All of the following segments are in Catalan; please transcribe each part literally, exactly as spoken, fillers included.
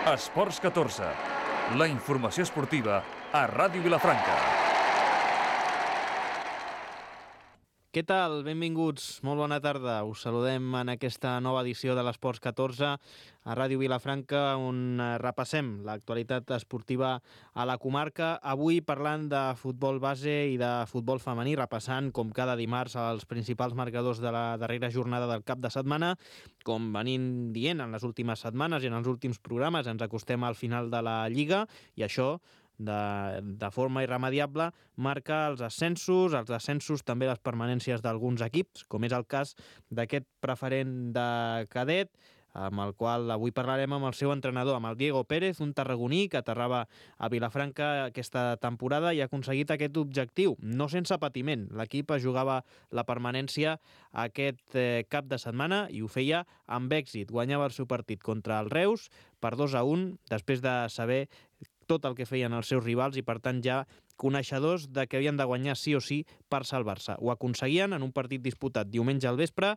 Esports catorze, la informació esportiva a Ràdio Vilafranca. Què tal? Benvinguts, molt bona tarda. Us saludem en aquesta nova edició de l'Esports catorze a Ràdio Vilafranca, on repassem l'actualitat esportiva a la comarca. Avui parlant de futbol base i de futbol femení, repassant com cada dimarts els principals marcadors de la darrera jornada del cap de setmana. Com venim dient en les últimes setmanes i en els últims programes, ens acostem al final de la Lliga i això De, de forma irremediable marca els ascensos, els descensos, també les permanències d'alguns equips, com és el cas d'aquest preferent de cadet, amb el qual avui parlarem amb el seu entrenador, amb el Diego Pérez, un tarragoní que aterrava a Vilafranca aquesta temporada i ha aconseguit aquest objectiu, no sense patiment. L'equip jugava la permanència aquest eh, cap de setmana i ho feia amb èxit. Guanyava el seu partit contra el Reus per dos a un, després de saber tot el que feien els seus rivals i, per tant, ja coneixedors de que havien de guanyar sí o sí per salvar-se. Ho aconseguien en un partit disputat diumenge al vespre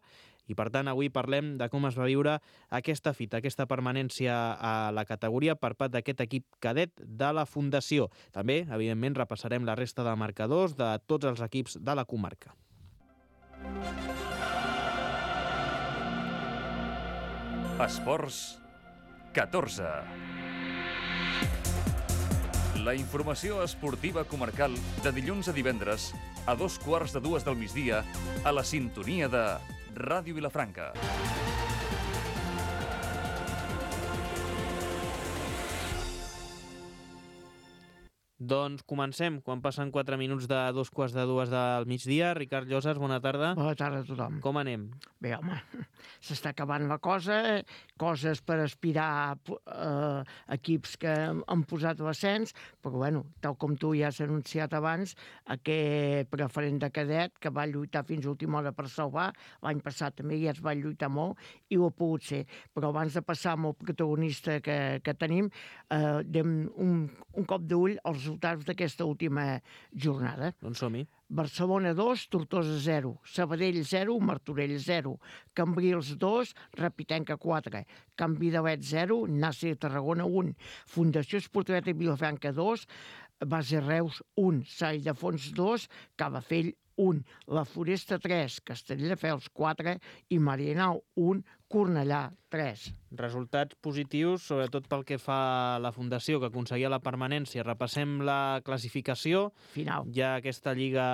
i, per tant, avui parlem de com es va viure aquesta fita, aquesta permanència a la categoria per part d'aquest equip cadet de la Fundació. També, evidentment, repassarem la resta de marcadors de tots els equips de la comarca. Esports catorze. La informació esportiva comarcal de dilluns a divendres a dos quarts de dues del migdia a la sintonia de Ràdio Vilafranca. Doncs comencem, quan passen quatre minuts de dos quarts de dues del migdia. Ricard Llosas, bona tarda. Bona tarda a tothom. Com anem? Bé, home, s'està acabant la cosa, coses per aspirar a eh, equips que han posat l'ascens, però bueno, tal com tu ja has anunciat abans, aquest preferent de cadet que va lluitar fins a última hora per salvar, l'any passat també ja es va lluitar molt i ho ha pogut ser. Però abans de passar amb el protagonista que, que tenim, eh, dem un, un cop d'ull als resultats d'aquesta última jornada. Doncs som-hi. Barcelona dos, Tortosa zero, Sabadell zero, Martorell zero, Cambrils dos, Rapitenca quatre, Can Vidalet zero, Nàsser Tarragona un, Fundació Esportiveta Vilafranca dos, Base Reus un, Sant Ildefons dos, Calafell un, La Floresta tres, Castelldefels quatre i Marianao un, Cornellà tres. Resultats positius, sobretot pel que fa a la Fundació, que aconseguia la permanència. Repassem la classificació. Final. Ja aquesta Lliga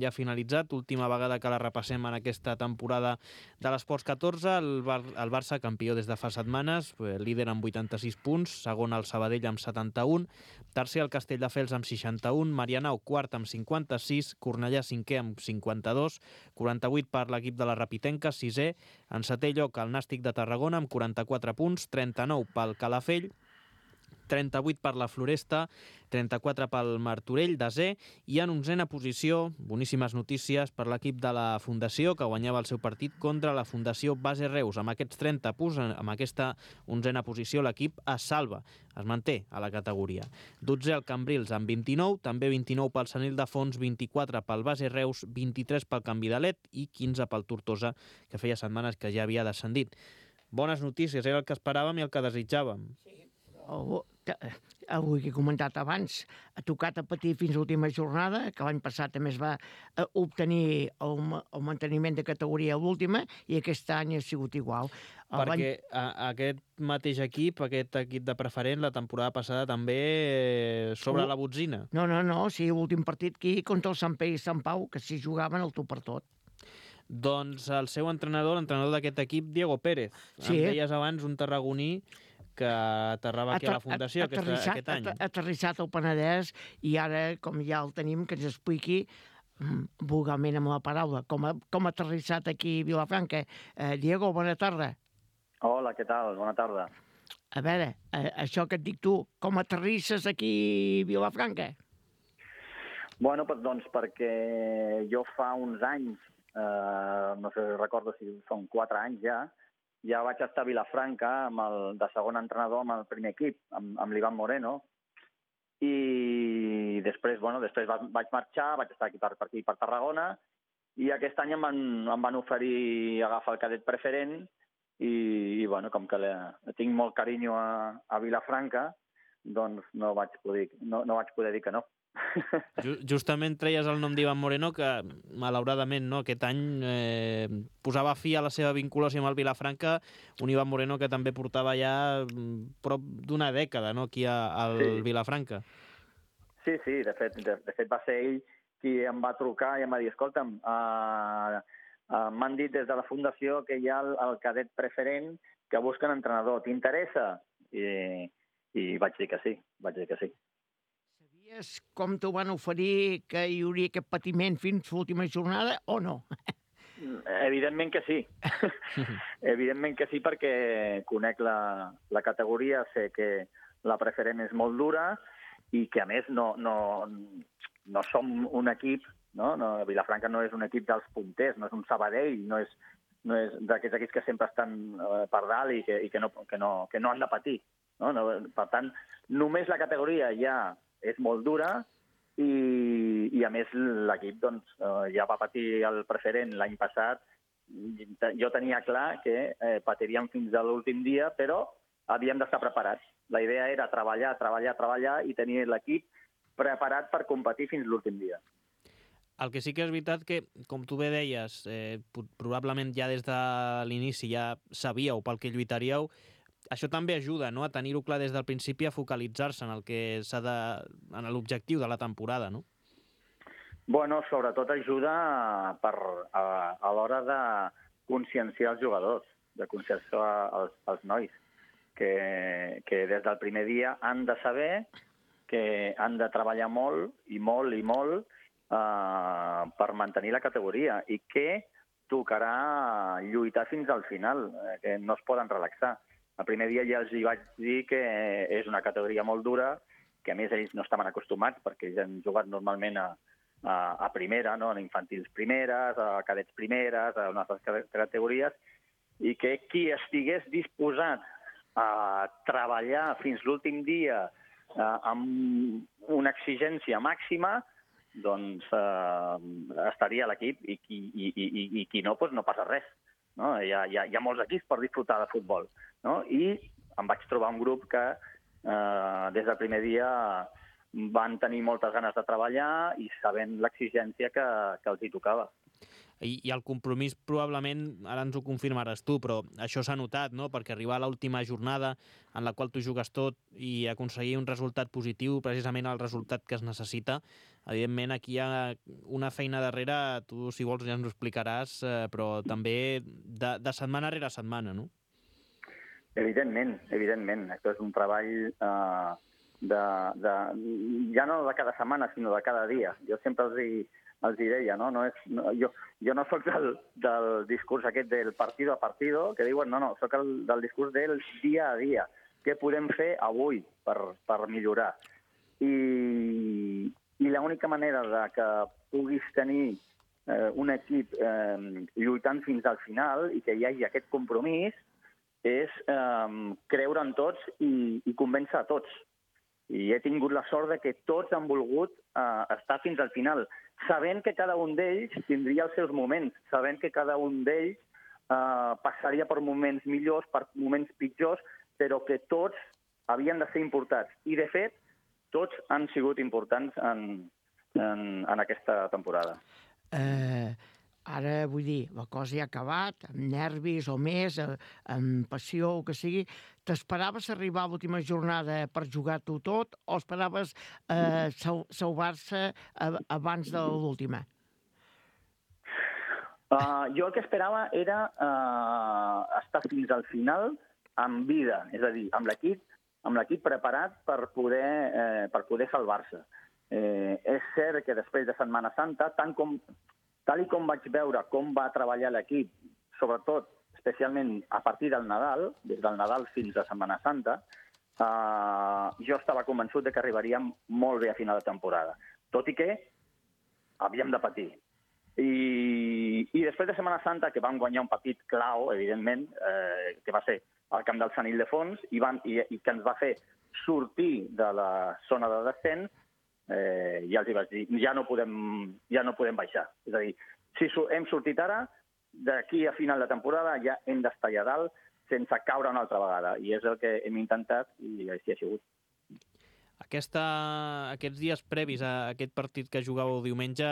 ja ha finalitzat, última vegada que la repassem en aquesta temporada de l'Esports catorze. El, Bar el Barça, campió des de fa setmanes, líder amb vuitanta-sis punts, segon el Sabadell amb setanta-un, tercer el Castelldefels amb seixanta-un, Marianao quart amb cinquanta-sis, Cornellà cinquè amb cinquanta-dos, quaranta-vuit per l'equip de la Rapitenca, sisè, en setè lloc el Nàstic de Tarragona amb quaranta-quatre punts, trenta-nou pel Calafell, trenta-vuit per la Floresta, trenta-quatre pel Martorell, desè, i en onzena posició, boníssimes notícies per l'equip de la Fundació, que guanyava el seu partit contra la Fundació Base Reus. Amb aquests trenta punts, amb aquesta onzena posició, l'equip es salva, es manté a la categoria. dotzè el Cambrils amb vint-i-nou, també vint-i-nou pel Sant Ildefons, vint-i-quatre pel Base Reus, vint-i-tres pel Can Vidalet i quinze pel Tortosa, que feia setmanes que ja havia descendit. Bones notícies, era el que esperàvem i el que desitjàvem. Sí. El, el que he comentat abans, ha tocat a patir fins a l'última jornada, que l'any passat també es va obtenir el, el manteniment de categoria a l'última i aquest any ha sigut igual. Perquè a, aquest mateix equip, aquest equip de preferent, la temporada passada també sobre la botzina. No, no, no, sí, l'últim partit aquí contra el Sant Pere i Sant Pau, que s'hi jugaven el tu per tot. Doncs el seu entrenador, l'entrenador d'aquest equip, Diego Pérez. Sí. Em deies abans un tarragoní que aterrava aquí a la Fundació aquest, aquest any. Ha aterrissat al Penedès i ara, com ja el tenim, que ens expliqui vulgarment amb la paraula, com ha, com ha aterrissat aquí a Vilafranca. Eh, Diego, bona tarda. Hola, què tal? Bona tarda. A veure, eh, això que et dic tu, com aterrisses aquí a Vilafranca? Bueno, doncs perquè jo fa uns anys, eh, no sé, recordo si són quatre anys ja, ja vaig estar a Vilafranca amb el, de segon entrenador amb el primer equip, amb, amb l'Ivan Moreno, i després, bueno, després vaig marxar, vaig estar aquí per, per, aquí, per Tarragona, i aquest any em van, em van oferir agafar el cadet preferent i, i bueno, com que le, tinc molt carinyo a, a Vilafranca, doncs no vaig poder, no, no vaig poder dir que no. Justament treies el nom d'Ivan Moreno, que malauradament no, aquest any eh, posava fi a la seva vinculació amb el Vilafranca, un Ivan Moreno que també portava ja prop d'una dècada, no?, aquí a, al sí. Vilafranca. Sí, sí, de fet, de, de fet va ser ell qui em va trucar i em va dir, escolta'm, uh, uh, m'han dit des de la fundació que hi ha el, el cadet preferent que busquen entrenador, t'interessa? I, I vaig dir que sí, vaig dir que sí. Sabies com t'ho van oferir, que hi hauria aquest patiment fins l'última jornada o no? Evidentment que sí. Evidentment que sí, perquè conec la, la categoria, sé que la preferent és molt dura i que, a més, no, no, no som un equip, no? No, Vilafranca no és un equip dels punters, no és un Sabadell, no és, no és d'aquests equips que sempre estan eh, per dalt i, que, i que, no, que, no, que no han de patir. No? No, per tant, només la categoria ja és molt dura i, i a més, l'equip doncs, ja va patir el preferent l'any passat. Jo tenia clar que eh, patiríem fins a l'últim dia, però havíem d'estar preparats. La idea era treballar, treballar, treballar i tenir l'equip preparat per competir fins l'últim dia. El que sí que és veritat que, com tu bé deies, eh, probablement ja des de l'inici ja sabíeu pel que lluitaríeu. Això també ajuda, no?, a tenir-ho clar des del principi, a focalitzar-se en el que s'ha de, en l'objectiu de la temporada, no? Bueno, sobretot ajuda per, a, a l'hora de conscienciar els jugadors, de conscienciar els, els nois, que, que des del primer dia han de saber que han de treballar molt i molt i molt eh, per mantenir la categoria i que tocarà lluitar fins al final, eh, que no es poden relaxar. El primer dia ja els hi vaig dir que és una categoria molt dura, que a més ells no estaven acostumats perquè ells han jugat normalment a, a, a primera, no? A infantils primeres, a cadets primeres, a unes altres categories, i que qui estigués disposat a treballar fins l'últim dia eh, amb una exigència màxima, doncs eh, estaria a l'equip i qui, i, i, i qui no, doncs no passa res. No? Hi, ha, hi, ha, hi ha molts equips per disfrutar de futbol. No? I em vaig trobar un grup que eh, des del primer dia van tenir moltes ganes de treballar i sabent l'exigència que, que els hi tocava. I, I el compromís probablement, ara ens ho confirmaràs tu, però això s'ha notat, no?, perquè arribar a l'última jornada en la qual tu jugues tot i aconseguir un resultat positiu, precisament el resultat que es necessita, evidentment aquí hi ha una feina darrere, tu si vols ja ens ho explicaràs, eh, però també de, de setmana rere setmana, no? Evidentment, evidentment. Això és un treball eh, de, de, ja no de cada setmana, sinó de cada dia. Jo sempre els hi, els hi deia, no? No és, no, jo, jo no soc del, del discurs aquest del partido a partido, que diuen, no, no, soc el, del discurs del dia a dia. Què podem fer avui per, per millorar? I, i l'única manera de que puguis tenir eh, un equip eh, lluitant fins al final i que hi hagi aquest compromís és eh, creure en tots i, i convèncer a tots. I he tingut la sort de que tots han volgut eh, estar fins al final, sabent que cada un d'ells tindria els seus moments, sabent que cada un d'ells eh, passaria per moments millors, per moments pitjors, però que tots havien de ser importats. I, de fet, tots han sigut importants en, en, en aquesta temporada. Eh... Ara, vull dir, la cosa ja ha acabat, amb nervis o més, amb passió o que sigui. T'esperaves arribar a l'última jornada per jugar-t'ho tot o esperaves eh, salvar-se abans de l'última? Uh, jo el que esperava era uh, estar fins al final amb vida, és a dir, amb l'equip amb l'equip preparat per poder, eh, per poder salvar-se. Eh, és cert que després de Setmana Santa, tant com Tal i com vaig veure com va treballar l'equip, sobretot, especialment a partir del Nadal, des del Nadal fins a Setmana Santa, eh, jo estava convençut de que arribaríem molt bé a final de temporada. Tot i que havíem de patir. I, i després de Setmana Santa, que vam guanyar un partit clau, evidentment, eh, que va ser al camp del Sant Ildefons, i, van, i, i que ens va fer sortir de la zona de descens, Eh, ja els hi vaig dir, ja no podem, ja no podem baixar. És a dir, si hem sortit ara, d'aquí a final de temporada ja hem d'estar allà dalt sense caure una altra vegada. I és el que hem intentat i així ha sigut. Aquesta, aquests dies previs a aquest partit que jugàveu diumenge,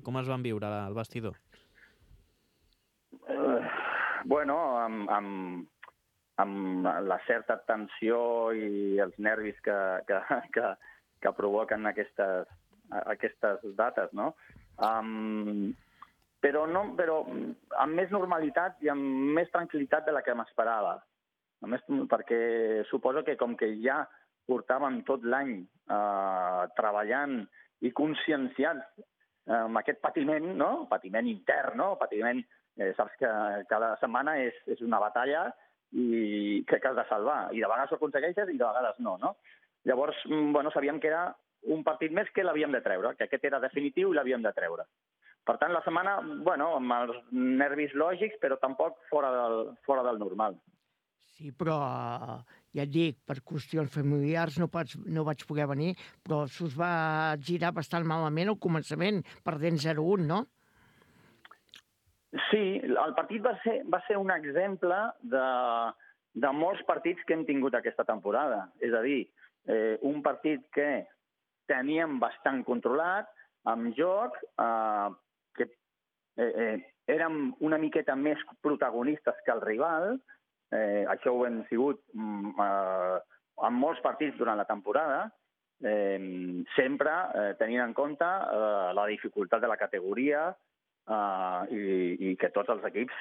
com es van viure al vestidor? Uh, bueno, amb, amb, amb la certa tensió i els nervis que, que, que, que provoquen aquestes, aquestes dates, no? Um, però, no, però amb més normalitat i amb més tranquil·litat de la que m'esperava. A més, perquè suposo que com que ja portàvem tot l'any eh, treballant i conscienciats eh, amb aquest patiment, no? Patiment intern, no? Patiment, eh, saps que cada setmana és, és una batalla i que, que has de salvar. I de vegades ho aconsegueixes i de vegades no, no? Llavors, bueno, sabíem que era un partit més que l'havíem de treure, que aquest era definitiu i l'havíem de treure. Per tant, la setmana, bueno, amb els nervis lògics, però tampoc fora del, fora del normal. Sí, però ja et dic, per qüestions familiars no, pots, no vaig poder venir, però s'us va girar bastant malament al començament, perdent zero a un, no? Sí, el partit va ser, va ser un exemple de, de molts partits que hem tingut aquesta temporada. És a dir, eh, un partit que teníem bastant controlat, amb joc, eh, que eh, eh, érem una miqueta més protagonistes que el rival. Eh, això ho hem sigut mm, eh, en molts partits durant la temporada, eh, sempre eh, tenint en compte eh, la dificultat de la categoria eh, i, i que tots els equips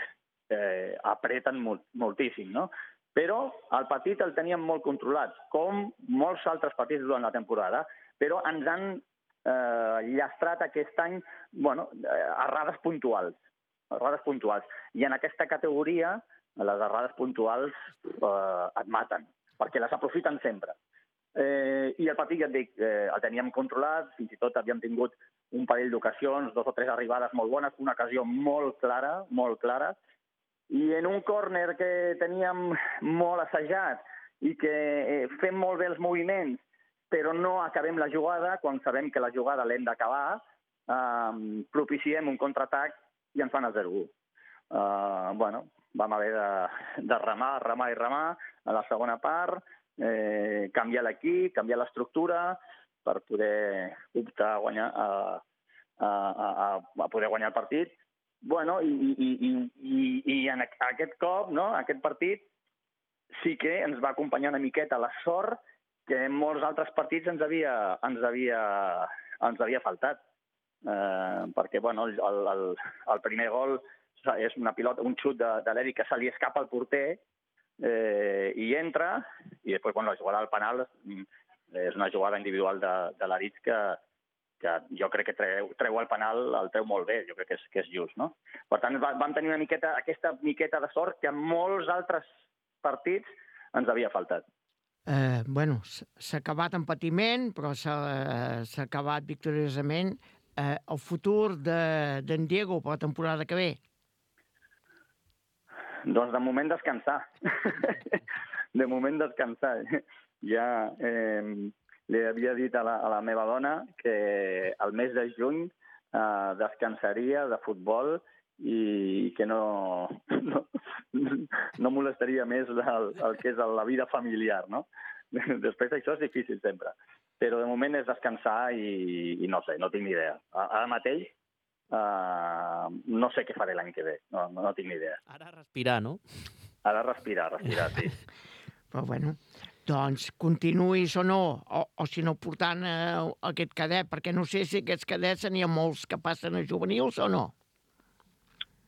eh, apreten molt, moltíssim, no? Però el partit el teníem molt controlat, com molts altres partits durant la temporada, però ens han eh, llastrat aquest any, bueno, eh, errades puntuals, errades puntuals. I en aquesta categoria les errades puntuals eh, et maten, perquè les aprofiten sempre. Eh, I el partit, ja et dic, eh, el teníem controlat, fins i tot havíem tingut un parell d'ocasions, dos o tres arribades molt bones, una ocasió molt clara, molt clara, i en un córner que teníem molt assajat i que eh, fem molt bé els moviments, però no acabem la jugada, quan sabem que la jugada l'hem d'acabar, eh, propiciem un contraatac i ens fan el zero a u. Eh, bueno, vam haver de, de remar, remar i remar a la segona part, eh, canviar l'equip, canviar l'estructura per poder optar a guanyar, a, a, a, a poder guanyar el partit. Bueno, i, i, i, i, i en aquest cop, no, aquest partit, sí que ens va acompanyar una miqueta la sort que en molts altres partits ens havia, ens havia, ens havia faltat. Eh, perquè, bueno, el, el, el primer gol és una pilota, un xut de, de l'Eric que se li escapa al porter eh, i entra, i després, bueno, la jugada al penal és una jugada individual de, de l'Eric que, que jo crec que treu, treu el penal, el treu molt bé, jo crec que és, que és just, no? Per tant, vam tenir una miqueta, aquesta miqueta de sort que en molts altres partits ens havia faltat. Eh, bueno, s'ha acabat en patiment, però s'ha eh, acabat victoriosament. Eh, el futur d'en de, Diego per la temporada que ve? Doncs de moment descansar. De moment descansar. Ja eh, li havia dit a la, a la meva dona que el mes de juny eh, descansaria de futbol i que no, no, no molestaria més el, el que és la vida familiar, no? Després això és difícil sempre. Però de moment és descansar i, i no sé, no tinc ni idea. Ara mateix uh, no sé què faré l'any que ve, no, no, no tinc ni idea. Ara respirar, no? Ara respirar, respirar, sí. Però bueno, doncs continuïs o no, o, o si no portant eh, aquest cadet, perquè no sé si aquests cadets n'hi ha molts que passen a juvenils o no.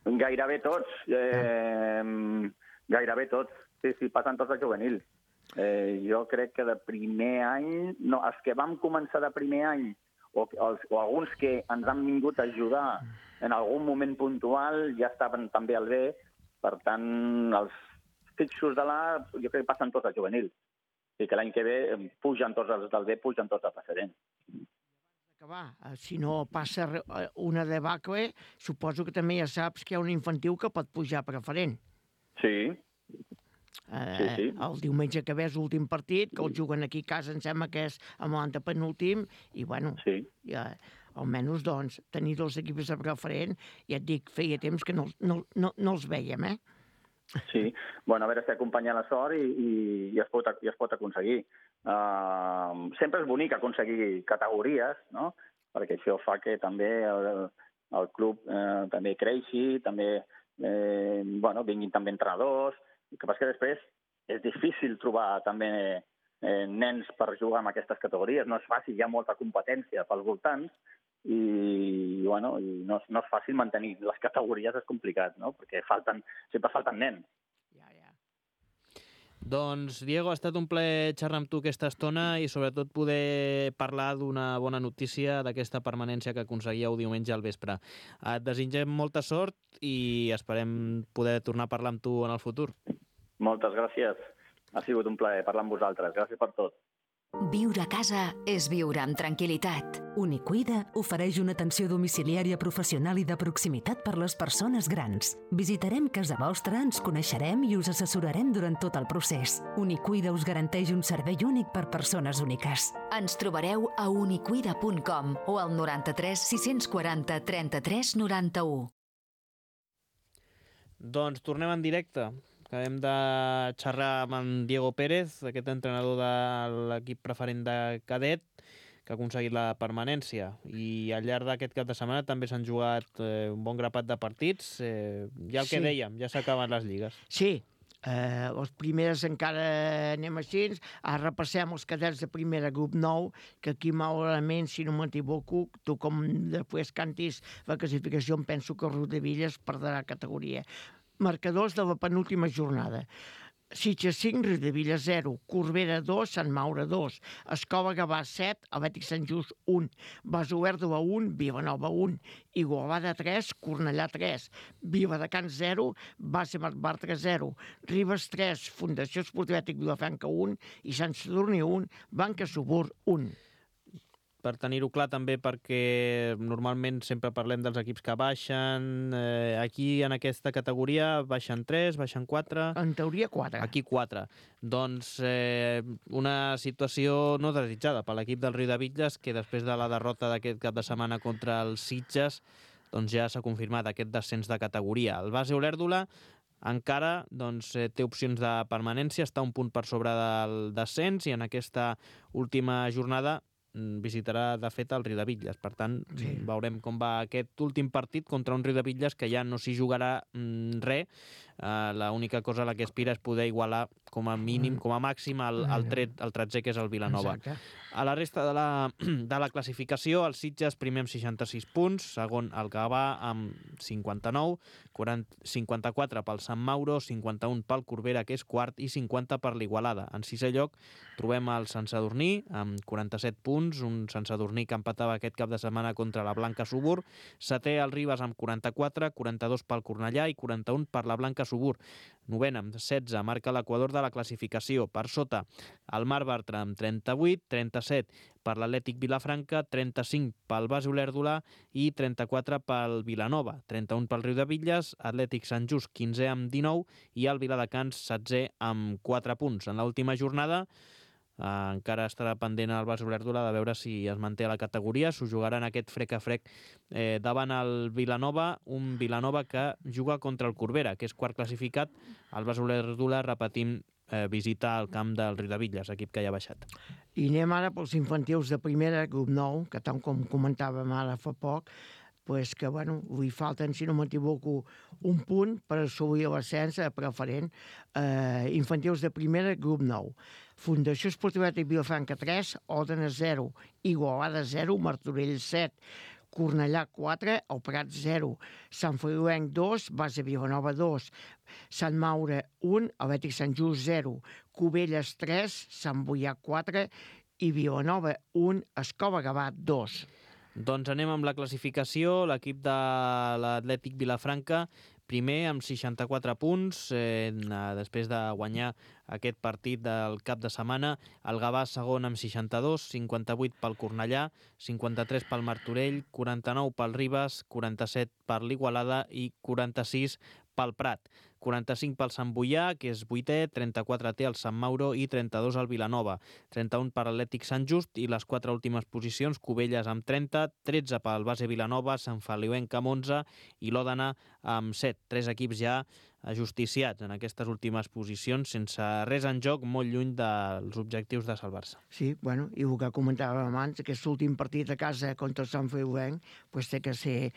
Gairebé tots, eh, gairebé tots, sí, sí, passen tots a juvenil. Eh, jo crec que de primer any, no, els que vam començar de primer any, o, els, o alguns que ens han vingut a ajudar en algun moment puntual, ja estaven també al B, per tant, els fixos de l'A, jo crec que passen tots a juvenil. I que l'any que ve pugen tots els del B, pugen tots a preferent. Acabar. Si no passa una debacle, suposo que també ja saps que hi ha un infantil que pot pujar a preferent. Sí. Eh, sí, sí. El diumenge que ve és l'últim partit, que el juguen aquí a casa, em sembla que és amb l'antepenúltim, i bueno, sí. ja, almenys doncs, tenir dos equips de preferent, ja et dic, feia temps que no, no, no, no els veiem, eh? Sí, bueno, a veure si acompanya la sort i, i, i, es, pot, i es pot aconseguir. Uh, sempre és bonic aconseguir categories, no? Perquè això fa que també el, el club eh, també creixi, també eh, bueno, vinguin també entrenadors. El que passa que després és difícil trobar també eh, nens per jugar en aquestes categories. No és fàcil, hi ha molta competència pels voltants i, bueno, i no, no és fàcil mantenir les categories, és complicat, no? Perquè falten, sempre falten nens. Ja, ja. Doncs, Diego, ha estat un plaer xerrar amb tu aquesta estona i sobretot poder parlar d'una bona notícia d'aquesta permanència que aconseguíeu diumenge al vespre. Et desitgem molta sort i esperem poder tornar a parlar amb tu en el futur. Moltes gràcies. Ha sigut un plaer parlar amb vosaltres. Gràcies per tot. Viure a casa és viure amb tranquil·litat. Unicuida ofereix una atenció domiciliària professional i de proximitat per les persones grans. Visitarem casa vostra, ens coneixerem i us assessorarem durant tot el procés. Unicuida us garanteix un servei únic per persones úniques. Ens trobareu a unicuida punt com o al noranta-tres sis-cents quaranta trenta-tres noranta-u. Doncs tornem en directe. Acabem de xerrar amb en Diego Pérez, aquest entrenador de l'equip preferent de cadet, que ha aconseguit la permanència. I al llarg d'aquest cap de setmana també s'han jugat eh, un bon grapat de partits. Eh, ja el que Sí. dèiem, ja s'acaben les lligues. Sí, eh, les primeres encara anem així. Ara repassem els cadets de primera, grup nou, que aquí, malauradament, si no m'equivoco, tu com després cantis la classificació, em penso que Rodavillas perdrà categoria. Marcadors de la penúltima jornada. Sitges cinc, Riudebitlles zero, Corbera dos, Sant Maure dos, Escola Gavà set, Atlètic Sant Just un, Basoverdo un, Vilanova un, Igualada tres, Cornellà tres, Viladecans zero, Base Marc zero, Ribes tres, Fundació Esportiva Atlètic Vilafranca un i Sant Sadurní un, Banca Subur un. Per tenir-ho clar també, perquè normalment sempre parlem dels equips que baixen. Eh, aquí, en aquesta categoria, baixen tres, baixen quatre... En teoria quatre. Aquí quatre. Doncs eh, una situació no desitjada per l'equip del Riudebitlles, que després de la derrota d'aquest cap de setmana contra els Sitges, doncs ja s'ha confirmat aquest descens de categoria. El Base Olèrdola encara doncs, té opcions de permanència, està un punt per sobre del descens i en aquesta última jornada visitarà, de fet, el Riudebitlles. Per tant, sí. veurem com va aquest últim partit contra un Riudebitlles que ja no s'hi jugarà mm, res. Uh, l'única cosa a la que aspira és poder igualar com a mínim, com a màxim, el, el, tret, el tretzè, que és el Vilanova. Exacte. A la resta de la, de la classificació, el Sitges primer amb seixanta-sis punts, segon el Gavà amb cinquanta-nou, quaranta, cinquanta-quatre pel Sant Mauro, cinquanta-un pel Corbera, que és quart, i cinquanta per l'Igualada. En sisè lloc trobem el Sant Sadurní amb quaranta-set punts, un Sant Sadurní que empatava aquest cap de setmana contra la Blanca Subur. Setè el Ribes amb quaranta-quatre, quaranta-dos pel Cornellà i quaranta-un per la Blanca Subur. Novena amb setze, marca l'equador de la classificació. Per sota, el Mar Bartra amb trenta-vuit, trenta-set per l'Atlètic Vilafranca, trenta-cinc pel Base Olèrdola i trenta-quatre pel Vilanova, trenta-un pel Riudebitlles, Atlètic Sant Just quinzè amb dinou i el Viladecans setzè amb quatre punts. En l'última jornada eh, encara estarà pendent el Base Olèrdola de veure si es manté a la categoria. S'ho jugaran aquest frec a frec eh, davant el Vilanova, un Vilanova que juga contra el Corbera, que és quart classificat. El Base Olèrdola, repetim, eh, visita el camp del Riudebitlles, equip que ja ha baixat. I anem ara pels infantils de primera, grup nou, que tant com comentàvem ara fa poc, pues que, bueno, li falten, si no m'equivoco, un punt per assolir l'ascens a preferent. Eh, infantils de primera, grup nou. Fundació Esportiva Atlètic Vilafranca tres, Òdena zero, Igualada zero, Martorell set, Cornellà quatre, El Prat zero, Sant Feliuenc dos, Base Vilanova dos, Sant Maure un, Atlètic Sant Just zero, Cubelles tres, Sant Boià quatre i Vilanova un, Escola Gavà dos. Doncs anem amb la classificació. L'equip de l'Atlètic Vilafranca, primer amb seixanta-quatre punts, eh, després de guanyar aquest partit del cap de setmana. El Gavà segon amb seixanta-dos, cinquanta-vuit pel Cornellà, cinquanta-tres pel Martorell, quaranta-nou pel Ribes, quaranta-set per l'Igualada i quaranta-sis pel Prat. quaranta-cinc pel Sant Boià, que és vuitè, trenta-quatre té el Sant Mauro i trenta-dos el Vilanova, trenta-un per Atlètic Sant Just i les quatre últimes posicions, Cubelles amb trenta, tretze pel Base Vilanova, Sant Feliuenc amb onze i l'Òdena amb set. Tres equips ja ajusticiats en aquestes últimes posicions, sense res en joc, molt lluny dels objectius de salvar-se. Sí, bueno, i el que comentàvem abans, aquest últim partit a casa contra el Sant Feliuenc, pues té que ser,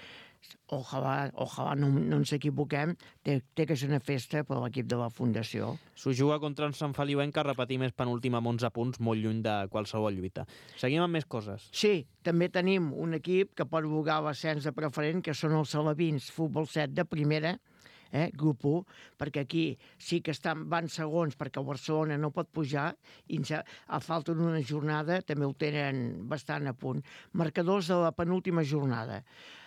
ojalà, ojalà no, no ens equivoquem, té, té que ser una festa per a l'equip de la Fundació. S'ho juga contra el Sant Feliuenc, que repetim és penúltim amb onze punts, molt lluny de qualsevol lluita. Seguim amb més coses. Sí, també tenim un equip que pot jugar a l'ascens de preferent, que són els Salabins Futbol set de primera, eh, grup u, perquè aquí sí que estan, van segons perquè el Barcelona no pot pujar i a falta d'una jornada també ho tenen bastant a punt. Marcadors de la penúltima jornada.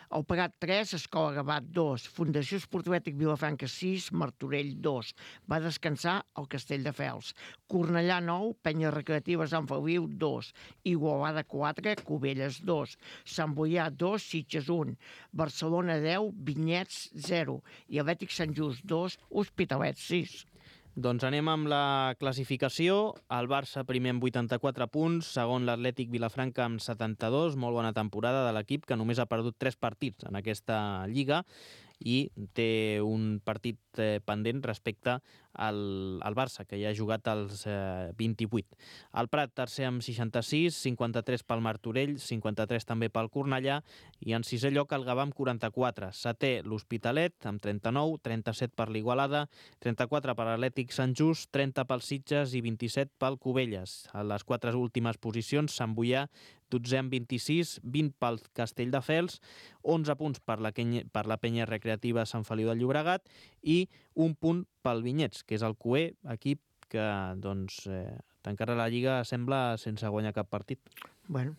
El Prat tres, Escola Gavat dos, Fundació Esportivètic Vilafranca sis, Martorell dos. Va descansar el Castelldefels. Cornellà nou, Penya Recreativa Sant Feliu dos. Igualada quatre, Cubelles dos. Sant Boià dos, Sitges un. Barcelona deu, Vinyets zero. I Atlètic Sant Just dos, Hospitalet sis. Doncs anem amb la classificació. El Barça primer amb vuitanta-quatre punts, segon l'Atlètic Vilafranca amb setanta-dos, molt bona temporada de l'equip que només ha perdut tres partits en aquesta lliga i té un partit eh, pendent respecte al, al Barça, que ja ha jugat als eh, vint-i-vuit. El Prat tercer amb seixanta-sis, cinquanta-tres pel Martorell, cinquanta-tres també pel Cornellà i en sisè lloc el Gavà amb quaranta-quatre. Setè l'Hospitalet amb trenta-nou, trenta-set per l'Igualada, trenta-quatre per l'Atlètic Sant Just, trenta pel Sitges i vint-i-set pel Cubelles. A les quatre últimes posicions, Sant Boià dotzè amb vint-i-sis, vint pel Castelldefels, onze punts per la, per la Penya Recreativa Sant Feliu de Llobregat i un punt pel Vinyets, que és el Q E, equip que doncs, eh, tancarà la Lliga, sembla, sense guanyar cap partit. Bueno,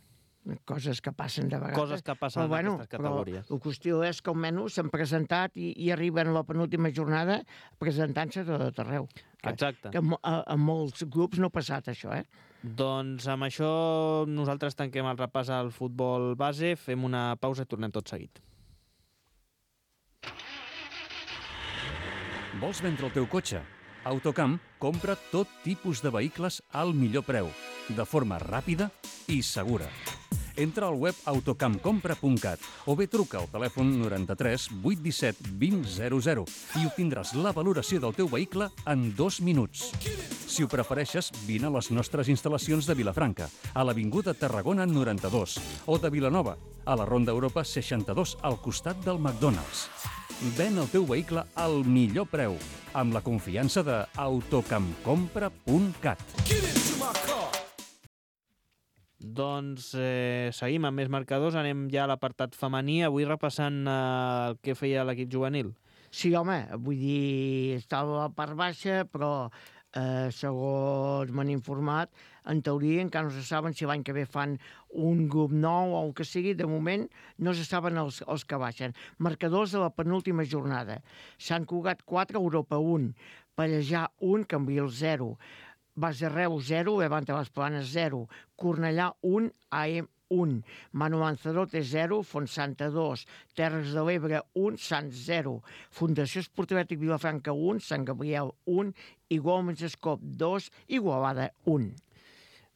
coses que passen de vegades. Coses que passen però, en bueno, aquestes categories. Però la qüestió és que almenys s'han presentat i, i arriben a la penúltima jornada presentant-se de tot arreu. Exacte. Que a, a molts grups no ha passat això, eh? Doncs amb això nosaltres tanquem el repàs al futbol base, fem una pausa i tornem tot seguit. Vols vendre el teu cotxe? Autocamp compra tot tipus de vehicles al millor preu, de forma ràpida i segura. Entra al web autocampcompra punt cat o bé truca al telèfon noranta-tres vuit disset vint zero zero i obtindràs la valoració del teu vehicle en dos minuts. Si ho prefereixes, vine a les nostres instal·lacions de Vilafranca, a l'Avinguda Tarragona noranta-dos, o de Vilanova, a la Ronda Europa seixanta-dos, al costat del McDonald's. Ven el teu vehicle al millor preu, amb la confiança de autocampcompra punt cat. Doncs eh, seguim amb més marcadors, anem ja a l'apartat femení, avui repassant eh, el que feia l'equip juvenil. Sí, home, vull dir, estava a la part baixa, però eh, segons m'han informat, en teoria encara no se saben si l'any que ve fan un grup nou o el que sigui, de moment no se saben els, els que baixen. Marcadors de la penúltima jornada. Sant Cugat quatre, Europa un, Pallejà un, Cambril zero, Base Reus zero, Levante les Planes zero, Cornellà un, A E M un, Manu Lanzarote zero, Fontsanta dos, Terres de l'Ebre un, Sants zero, Fundació Esportivètic Vilafranca un, Sant Gabriel un, Igualmens Escop dos, Igualada un.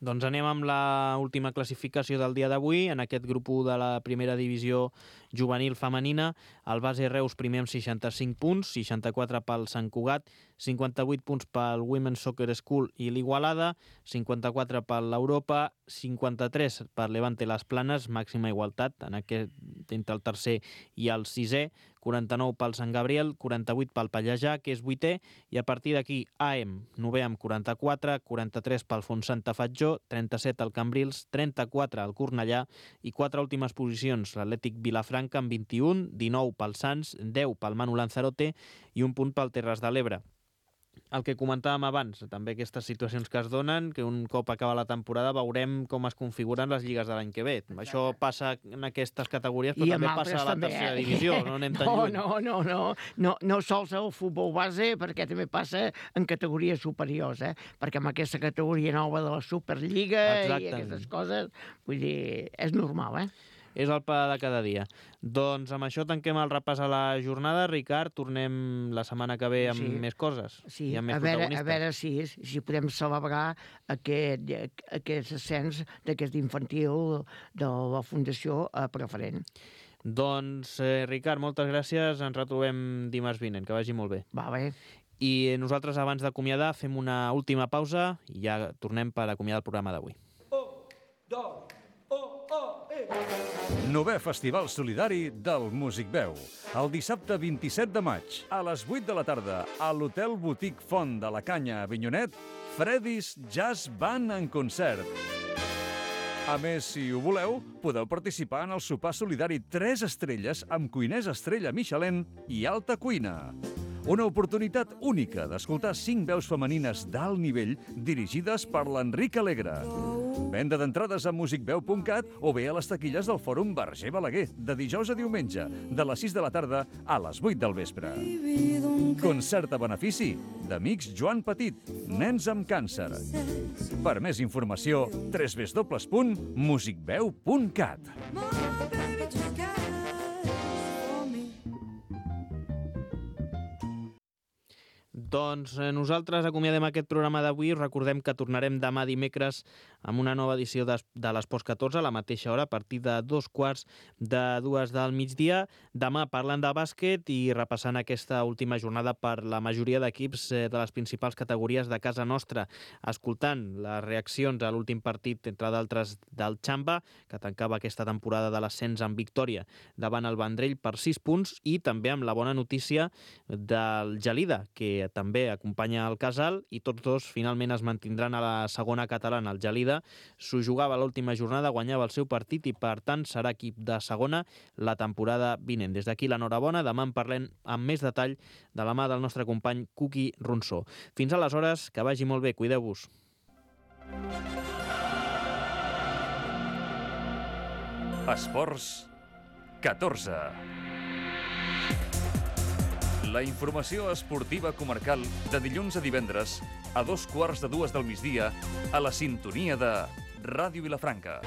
Doncs anem amb la última classificació del dia d'avui. En aquest grup u de la primera divisió juvenil femenina, el Base Reus primer amb seixanta-cinc punts, seixanta-quatre pel Sant Cugat, cinquanta-vuit punts pel Women's Soccer School i l'Igualada, cinquanta-quatre per l'Europa, cinquanta-tres per Levante les Planes, màxima igualtat en aquest, entre el tercer i el sisè, quaranta-nou pel Sant Gabriel, quaranta-vuit pel Pallejà, que és vuitè, i a partir d'aquí A E M, novè amb quaranta-quatre, quaranta-tres pel Fontsanta Fatjó, trenta-set al Cambrils, trenta-quatre al Cornellà i quatre últimes posicions, l'Atlètic Vilafranca amb vint-i-un, dinou pel Sants, deu pel Manu Lanzarote i un punt pel Terres de l'Ebre. El que comentàvem abans, també aquestes situacions que es donen, que un cop acaba la temporada veurem com es configuren les lligues de l'any que ve. Això passa en aquestes categories, però I també passa a la també, tercera eh? divisió, no anem tan no, lluny. No, no, no, no, no sols el futbol base, perquè també passa en categories superiors, eh? Perquè amb aquesta categoria nova de la Superliga Exacte. I aquestes coses, vull dir, és normal, eh? és el pa de cada dia. Doncs amb això tanquem el repàs a la jornada. Ricard, tornem la setmana que ve amb Sí. més coses. Sí, I amb més a veure, a protagonistes. veure si, si podem celebrar aquest, aquest ascens d'aquest infantil de la Fundació a preferent. Doncs, eh, Ricard, moltes gràcies. Ens retrobem dimarts vinent. Que vagi molt bé. Va bé. I nosaltres, abans d'acomiadar, fem una última pausa i ja tornem per acomiadar el programa d'avui. Novè Festival Solidari del Músic Veu. El dissabte vint-i-set de maig, a les vuit de la tarda, a l'Hotel Boutique Font de la Canya a Avinyonet, Freddy's Jazz Band en concert. A més, si ho voleu, podeu participar en el sopar solidari tres estrelles amb cuiners estrella Michelin i alta cuina. Una oportunitat única d'escoltar cinc veus femenines d'alt nivell dirigides per l'Enric Alegre. Venda d'entrades a musicveu punt cat o bé a les taquilles del Fòrum Verger Balaguer, de dijous a diumenge, de les sis de la tarda a les vuit del vespre. Concert a benefici d'Amics Joan Petit, nens amb càncer. Per més informació, w w w punt musicveu punt cat. Doncs eh, nosaltres acomiadem aquest programa d'avui. Recordem que tornarem demà dimecres amb una nova edició de, de l'Esports catorze a la mateixa hora, a partir de dos quarts de dues del migdia. Demà parlant de bàsquet i repassant aquesta última jornada per la majoria d'equips eh, de les principals categories de casa nostra, escoltant les reaccions a l'últim partit, entre d'altres del Xamba, que tancava aquesta temporada de l'ascens amb victòria davant el Vendrell per sis punts, i també amb la bona notícia del Gelida, que també acompanya el Casal, i tots dos finalment es mantindran a la segona catalana. El Gelida s'ho jugava l'última jornada, guanyava el seu partit i per tant serà equip de segona la temporada vinent. Des d'aquí l'enhorabona, demà en parlem amb més detall de la mà del nostre company Cuqui Ronsó. Fins aleshores, que vagi molt bé, cuideu-vos. Esports catorze. La informació esportiva comarcal de dilluns a divendres a dos quarts de dues del migdia a la sintonia de Ràdio Vilafranca.